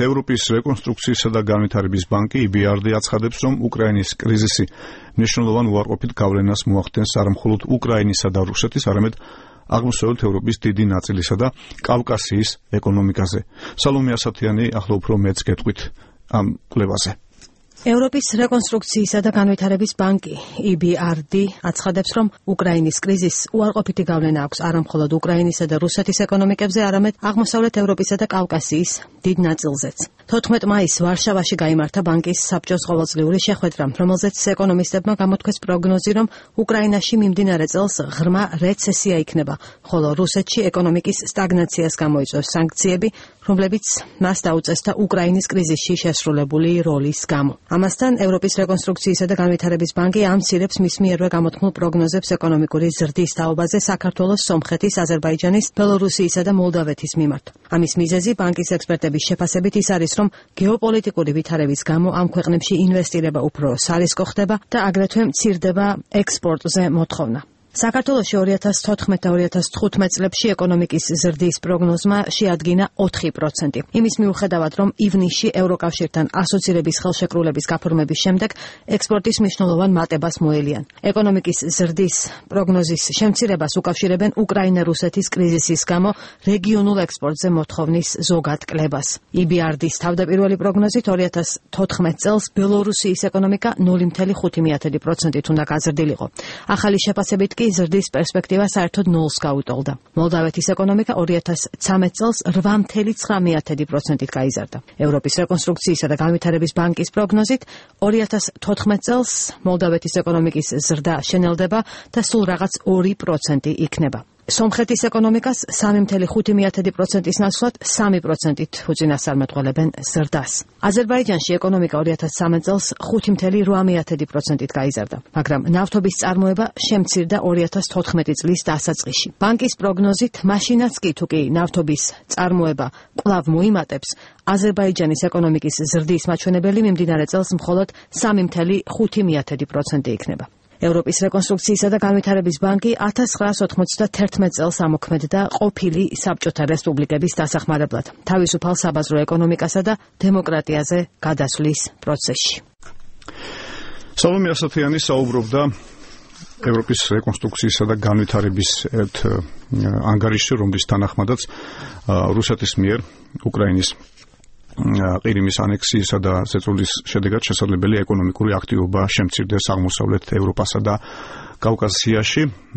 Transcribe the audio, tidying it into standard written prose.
ევროპის რეკონსტრუქციისა და განვითარების ბანკი EBRD აცხადებს, რომ უკრაინის კრიზისი მნიშვნელოვან უარყოფით გავლენას მოახდენს არა მხოლოდ უკრაინისა და რუსეთის, არამედ აღმოსავლეთ ევროპის დიდი ნაწილისა და კავკასიის ეკონომიკაზე. სალომე ასათიანი ახლა უფრო მეც გეტყვით ამ კვლევაზე. ევროპის რეკონსტრუქციისა და განვითარების ბანკი EBRD აცხადებს, რომ უკრაინის კრიზისს უარყოფითი გავლენა აქვს არა მხოლოდ უკრაინისა და რუსეთის ეკონომიკებზე, არამედ აღმოსავლეთ ევროპისა და კავკასიის დიდ ნაწილზეც. 14 მაისს ვარშავაში გაიმართა ბანკის საბჭოს ყოველწლიური შეხვედრა, რომელზეც ეკონომისტებმა გამოთქვეს პროგნოზი, რომ უკრაინაში მიმდინარე წელს ღრმა რეცესია იქნება, ხოლო რუსეთში ეკონომიკის სტაგნაციას გამოიწვევს სანქციები, რომლებიც მას დაუწესდა უკრაინის კრიზისში შესრულებული როლის გამო. ამასთან ევროპის რეკონსტრუქციისა და განვითარების ბანკი ამცირებს მის მიერვე გამოთქმულ პროგნოზებს ეკონომიკური ზრდის თაობაზე საქართველოს, სომხეთის, აზერბაიჯანის, ბელორუსიისა და მოლდავეთის მიმართ. ამის მიზეზი ბანკის ექსპერტების შეფასებით ის არის, რომ გეოპოლიტიკური ვითარების გამო ამ ქვეყნებში ინვესტირება უფრო სარისკო ხდება და აგრეთვე მცირდება ექსპორტზე მოთხოვნა. საქართველოში 2014 და 2015 წლებში ეკონომიკის ზრდის პროგნოზმა შეადგინა 4%. იმის მიუხედავად, რომ ივნისში ევროკავშირთან ასოცირების ხელშეკრულების გაფორმების შემდეგ ექსპორტის მნიშვნელოვან მატებას მოელიან. ეკონომიკის ზრდის პროგნოზის შემცირებას უკავშირებენ უკრაინა-რუსეთის კრიზისის გამო რეგიონულ ექსპორტზე მოთხოვნის ზოგად კლებას. EBRD-ის თავდაპირველი პროგნოზით 2014 წელს ბელორუსიის ეკონომიკა 0.5%-ით უნდა გაზრდილიყო. ახალი შეფასებით კი ზრდის პერსპექტივა საერთოდ 0-ს გაუტოლდა. მოლდავეთის ეკონომიკა 2013 წელს 8.9%-ით გაიზარდა. ევროპის რეკონსტრუქციისა და განვითარების ბანკის პროგნოზით 2014 წელს მოლდავეთის ეკონომიკის ზრდა შენელდება და სულ რაღაც 2% იქნება. სომხეთის ეკონომიკას 3.5%-ის ნაცვლად 3%-ით უწინასწარმეტყველებენ ზრდას. აზერბაიჯანში ეკონომიკა 2013 წელს 5.8%-ით გაიზარდა, მაგრამ ნავთობის წარმოება შემცირდა 2014 წლის დასაწყისში. ბანკის პროგნოზით, მაშინაც კი თუკი ნავთობის წარმოება კვლავ მოიმატებს, აზერბაიჯანის ეკონომიკის ზრდის მაჩვენებელი მიმდინარე წელს მხოლოდ 3.5% იქნება. ევროპის რეკონსტრუქციისა და განვითარების ბანკი 1991 წელს ამოქმედდა ყოფილი საბჭოთა რესპუბლიკების დასახმარებლად, თავისუფალ საბაზრო ეკონომიკასა და დემოკრატიაზე გადასვლის პროცესში. სალომე ასათიანი საუბრობდა ევროპის რეკონსტრუქციისა და განვითარების ერთ ანგარიშში, რომლის თანახმადაც რუსეთის მიერ უკრაინის ყირიმის ანექსიისა და ზეწოლის შედეგად შესაძლებელი ეკონომიკური აქტივობა შემცირდეს აღმოსავლეთ ევროპასა და კავკასიაში.